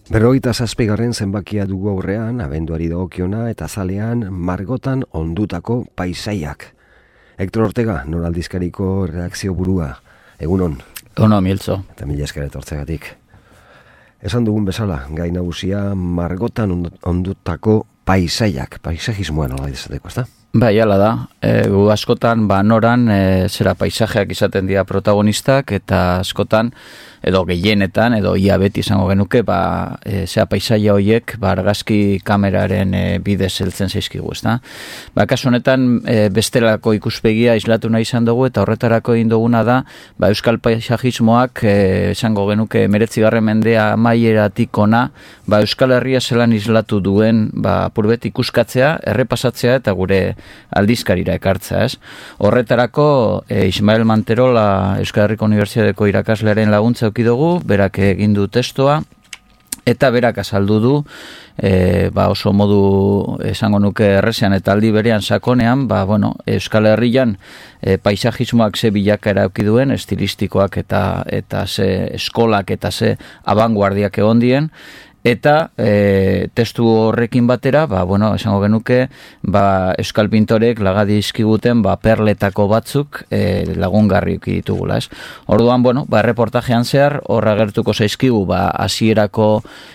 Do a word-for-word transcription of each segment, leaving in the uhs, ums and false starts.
Berrogeita zazpigarren zenbakia dugu aurrean, abenduari dagokiona eta zalean margotan ondutako paisaiak. Hector Ortega, noraldizkariko reakzio burua. Egunon. Egunon, Miltzo. Eta mila esker etortzegatik. Esan dugun bezala, gai nagusia margotan ondutako paisaiak. Paisajismoa nola izateko, ezta? Bai, ala da. E, gu askotan, ba, noran, e, zera paisajeak izaten dira protagonistak, eta askotan, edo gehienetan, edo ia beti izango genuke, ba, e, zera paisaia horiek, ba, argazki kameraren e, bidez heltzen zaizkigu, ezta? Ba, kasu honetan, e, bestelako ikuspegia islatu nahi izan dugu, eta horretarako egin duguna da, ba, euskal paisajismoak, e, esango genuke, meretzigarren mendea amaieratik ona, ba, Euskal Herria zelan islatu duen, ba, apurbet ikuskatzea, errepasatzea, eta gure aldizkarira ekartza, ez? Horretarako, e, Ismael Manterola Euskal Herriko Unibertsitateko irakaslearen laguntza eduki dugu, berak egin du testoa, eta berak azaldu du, e, ba oso modu esango nuke errezean eta aldi berean sakonean, ba, bueno, Euskal Herrian e, paisajismoak ze bilakaera eduki duen, estilistikoak eta, eta ze eskolak eta ze abanguardiak egon dien, eta e, testu horrekin batera, ba, bueno, esango genuke, ba, euskal pintorek lagadi izkiguten, ba, perletako batzuk e, lagungarri ditugula, ez? Orduan, bueno, ba, reportajean zehar, horra gertuko zaizkigu, ba, hasierako,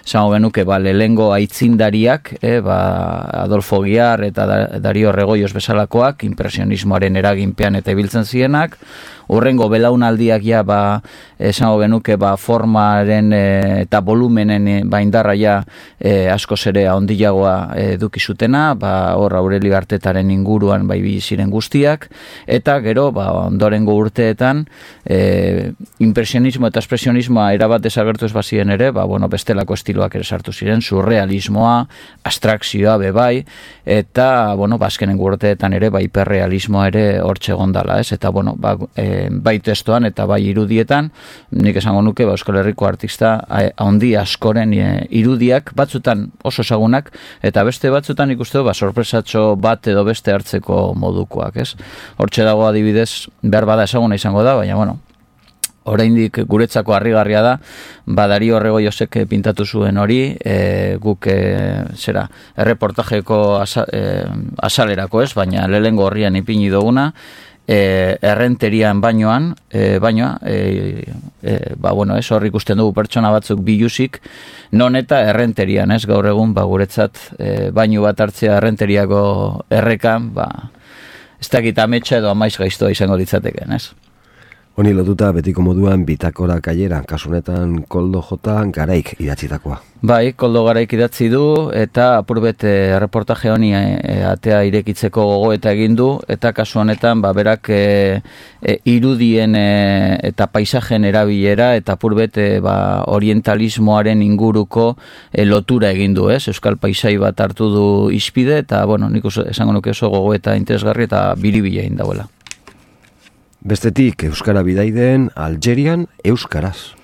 esango genuke, ba, lehengo aitzindariak, e, ba, Adolfo Giar eta Dario Regoios bezalakoak, impresionismoaren eraginpean eta ibiltzen zienak, horrengo belaunaldiak ja, ba, esango genuke, ba, formaren e, eta volumenen e, ba, indarra ja e, askoz ere handiagoa eduki zutena, ba, hor Aurelio Artetaren inguruan bai ziren guztiak, eta gero, ba, ondorengo urteetan, e, impresionismo eta espresionismoa erabat desagertu ez bazien ere, ba, bueno, bestelako estiloak ere sartu ziren, surrealismoa, abstrakzioa bebai, eta, bueno, bazkenengo urteetan ere, ba, hiperrealismoa ere hortxe gondala, ez? Eta, bueno, ba, e, bai testoan eta bai irudietan, nik esango nuke, ba, Euskal Herriko artista handi askoren e, irudiak, batzutan oso ezagunak, eta beste batzutan ikusten ba, sorpresatxo bat edo beste hartzeko modukoak, ez? Hortxe dago adibidez, behar bada ezaguna izango da, baina, bueno, oraindik guretzako harrigarria da, ba, Dario Regoiosek pintatu zuen hori, e, guk e, zera, erreportajeko asa, e, asalerako ez, baina lehengo horrian ipini duguna, E, errenterian bainoan, e, bainoa, e, e, ba, bueno, ez, hor ikusten dugu pertsona batzuk biluzik, non eta errenterian, ez, gaur egun, ba, guretzat, e, baino bat hartzea errenteriako errekan, ba, ez dakit ametsa edo amaiz gaiztoa izango ditzateken, ez? Honi lotuta betiko moduan bitakora kaiera, kasunetan Koldo J. Garaik idatzitakoa. Bai, Koldo Garaik idatzi du, eta apurbet e, reportaje honi e, atea irekitzeko gogoeta egin du, eta kasu honetan, ba, berak e, e, irudien e, eta paisajen erabilera, eta apurbet e, ba, orientalismoaren inguruko e, lotura egin du, ez? Euskal paisai bat hartu du izpide, eta, bueno, nik esango nuke oso gogoeta interesgarri eta biribila egin dauela. Bestetik, Euskara bidaideen Algerian euskaraz.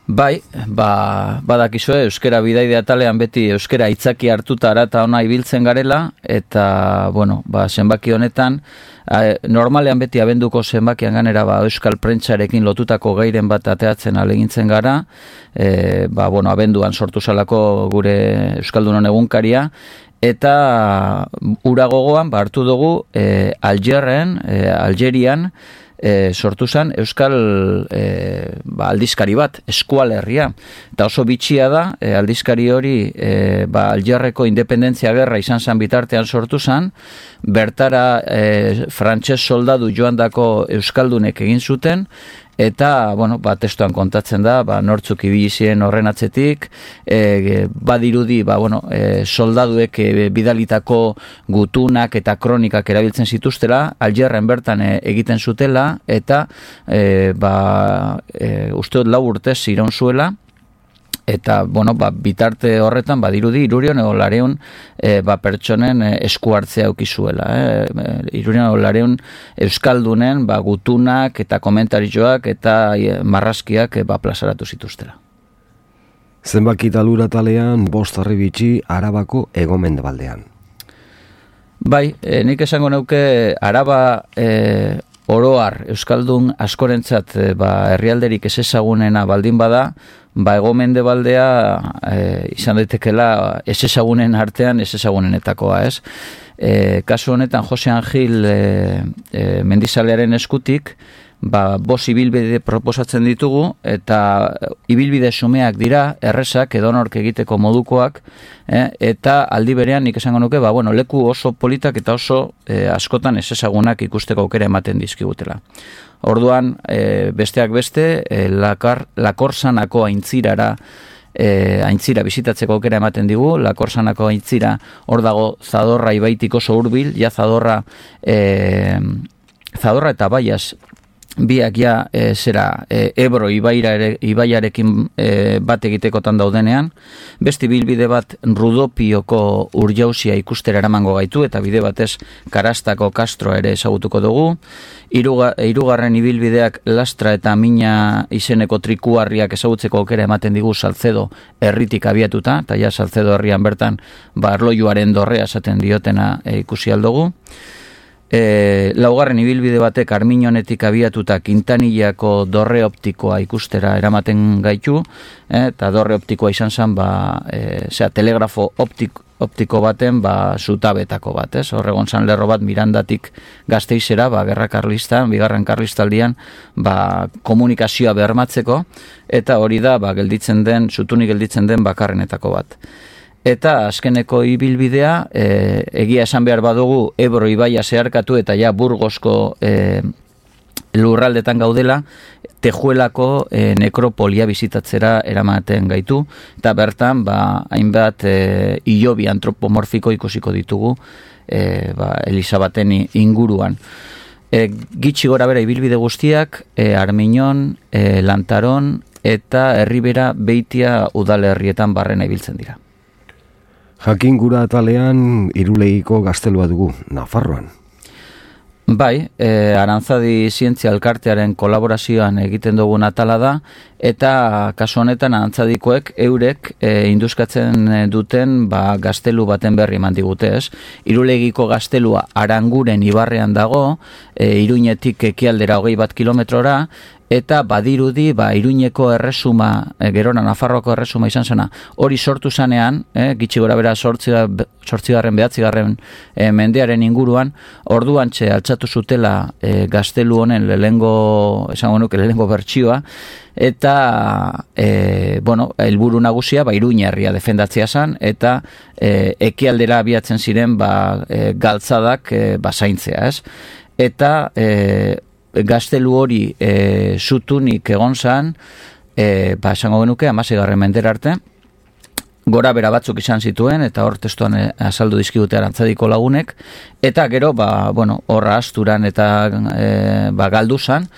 Bai, ba, badakizue, euskara bidaide atalean beti euskara itzaki hartuta arata ona ibiltzen garela, eta, bueno, ba, zenbaki honetan, a, normalean beti abenduko zenbakian ganera, ba, euskal prentsarekin lotutako gairen bat ateatzen alegintzen gara, e, ba, bueno, abenduan sortu zalako gure Euskaldunon egunkaria, eta ura gogoan, ba, hartu dugu, e, Algerren, e, Algerian, E, sortu zen euskal e, ba, aldizkari bat, Eskualerria, eta oso bitxia da, e, aldizkari hori e, ba, Algerreko independentzia gerra izan zen bitartean sortu zen, bertara e, frantses soldadu joandako euskaldunek egin zuten, eta, bueno, ba, testuan kontatzen da, ba, nortzuk ibili ziren horren atzetik, e, badirudi, ba, bueno, e, soldaduek e, bidalitako gutunak eta kronikak erabiltzen zituztela, Algerren bertan e, egiten zutela, eta, e, ba, e, uste dut lau urtez iraun zuela, eta, bueno, ba, bitarte horretan, badirudi, Irurion edo Lareun e, ba, pertsonen e, esku hartzea eukizuela. E, Irurion edo Lareun euskaldunen ba, gutunak eta komentarizioak eta e, marrazkiak e, ba, plazaratu zituztela. Zenbaki talura talean, bost arribitxi Arabako hegomendebaldean. Bai, e, nik esango neuke Araba e, oroar Euskaldun askorentzat e, ba, herrialderik ez ezagunena baldin bada, ba hego-mendebaldea e, izan daitekela ez ezagunen artean ez ezagunenetakoa, ez? E, kasu honetan Jose Angil e, e, mendizalearen eskutik, ba, bos ibilbide proposatzen ditugu, eta ibilbide xumeak dira, errezak, edonork egiteko modukoak, eh, eta aldi berean nik esango nuke, ba, bueno, leku oso politak eta oso eh, askotan ez ezagunak ikusteko aukera ematen dizkigutela. Orduan, eh, besteak beste, eh, lakar, lakorsanako aintzirara, eh, aintzira bizitatzeko aukera ematen digu, lakorsanako aintzira, hor dago Zadorra ibaitik oso hurbil, ja Zadorra, eh, Zadorra eta Baias, biak ja e, zera e, Ebro ibaira ere, ibaiarekin e, bat egitekotan daudenean, beste bilbide bat Rudopioko urjausia ikustera eramango gaitu, eta bide batez Karastako Castro ere ezagutuko dugu, Iruga, irugarren ibilbideak Lastra eta Mina izeneko trikuarriak ezagutzeko aukera ematen digu Salcedo herritik abiatuta, eta ja Salcedo herrian bertan barloiuaren dorrea esaten diotena e, ikusi aldugu. E, laugarren ibilbide batek Armiñonetik abiatuta Quintanillako dorre optikoa ikustera eramaten gaitu, e, eta dorre optikoa izan zen, ba, e, zera, telegrafo optiko, optiko baten, ba, zutabetako bat, ez? Horregon zan lerro bat Mirandatik Gasteizera, ba, gerra karlistan, bigarren karlistaldian, ba, komunikazioa bermatzeko, eta hori da, ba, gelditzen den, zutunik gelditzen den bakarrenetako bat. Eta azkeneko ibilbidea, e, egia esan behar badugu Ebro ibaia zeharkatu eta ja Burgosko e, lurraldetan gaudela, Tejuelako e, nekropolia bizitatzera eramaten gaitu, eta bertan ba, hainbat e, hilobi antropomorfiko ikusiko ditugu e, ba, Elisabaten inguruan. E, gitxi gora bera ibilbide guztiak, e, Armiñon, e, Lantaron eta Herribera Beitia udalerrietan barrena ibiltzen dira. Jakin gura atalean Irulegiko gaztelua dugu, Nafarroan. Bai, e, Arantzadi Zientzia Elkartearen kolaborazioan egiten dugun atala da, eta kasu honetan Arantzadikoek eurek e, induzkatzen duten ba, gaztelu baten berri eman digute, ez? Irulegiko gaztelua Aranguren ibarrean dago, e, Iruñetik ekialdera hogei bat kilometrora, eta badirudi, ba, Iruñeko erresuma, e, gerora Nafarroako erresuma izan zena, hori sortu zanean, e, gitxi gora bera sortzigarren, behatzigarren e, mendearen inguruan, orduan txe altxatu zutela e, gaztelu honen lehengo, esango nuke lehengo bertsioa, eta e, bueno, helburu nagusia ba, Iruña herria defendatzea zen, eta e, ekialdera abiatzen ziren ba, e, galtzadak e, basaintzea, ez? Eta e, gaztelu hori e, zutunik egon zan, e, ba, esango genuke, hamaseigarren mendera arte, gora bera batzuk izan zituen, eta hor testuan e, azaldu dizkigute Arantzadiko lagunek, eta gero, ba, bueno, horra asturan eta e, ba, galdu zan,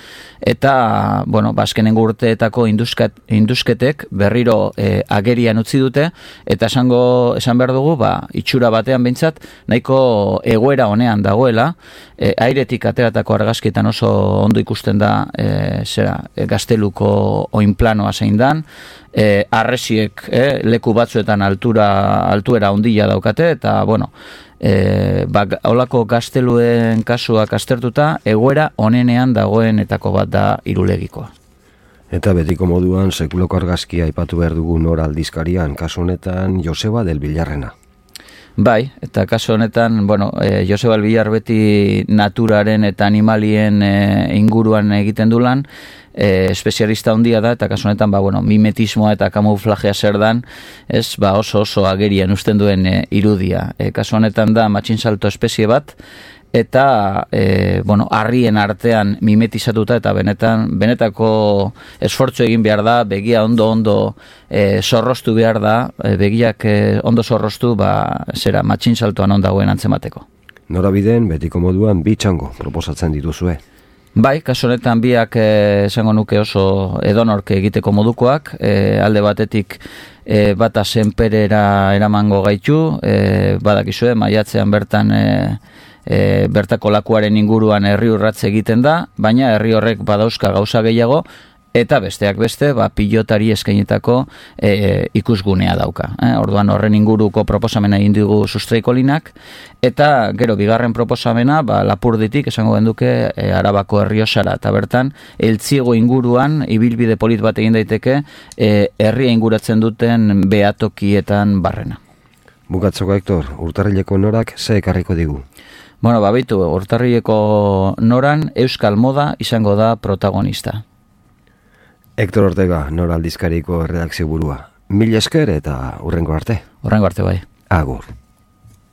eta, bueno, ba, azkenengo urteetako induzket, induzketek berriro e, agerian utzi dute, eta esango, esan behar dugu, ba, itxura batean behintzat, nahiko egoera honean dagoela, e, airetik ateratako argazkietan oso ondo ikusten da, e, zera, e, gazteluko oinplanoa zein dan, e, arresiek e, leku batzuetan altura, altuera ondila daukate, eta, bueno, E, ba, holako gazteluen kasuak aztertuta, egoera onenean dagoenetako bat da Irulegikoa. Eta betiko moduan sekuloko argazkia aipatu behar dugu nor aldizkarian, kasu honetan Joseba del Villarrena. Bai, eta kasu honetan, bueno, e, Joseba del Villar beti naturaren eta animalien e, inguruan egiten du lan, E, espezialista handia da, eta kasu honetan ba, bueno, mimetismoa eta kamuflajea zer dan, ez, ba, oso oso agerian usten duen e, irudia. E, kasu honetan da matxinsalto espezie bat, eta e, bueno, harrien artean mimetizatuta, eta benetan benetako esfortzu egin behar da, begia ondo ondo e, zorrostu behar da, e, begiak e, ondo zorrostu, ba, zera matxinsaltoan ondagoen antzemateko. Norabideen betiko moduan bi txango proposatzen dituzue. Bai, kasu honetan biak eh, esango nuke oso edonorke egiteko modukoak, eh, alde batetik eh, bata senperera eramango gaitu, eh, badakizue, maiatzean bertan eh, eh, bertako lakuaren inguruan herri urratze egiten da, baina herri horrek badauzka gauza gehiago, eta besteak beste, ba, pilotari eskainetako e, ikusgunea dauka. Eh? Orduan horren inguruko proposamena egin dugu Sustraikolinak, eta gero bigarren proposamena, ba, Lapurditik esango genduke e, Arabako Erriosara, eta bertan, Eltziego inguruan, ibilbide polit bat egin daiteke, e, herria inguratzen duten behatokietan barrena. Bukatzoko, Hector, urtarrileko norak ze ekarriko digu? Bueno, babitu, urtarrileko noran Euskal Moda izango da protagonista. Hector Ortega, Nora aldizkariko redakzio burua. Mil esker eta hurrengo arte. Hurrengo arte bai. Agur.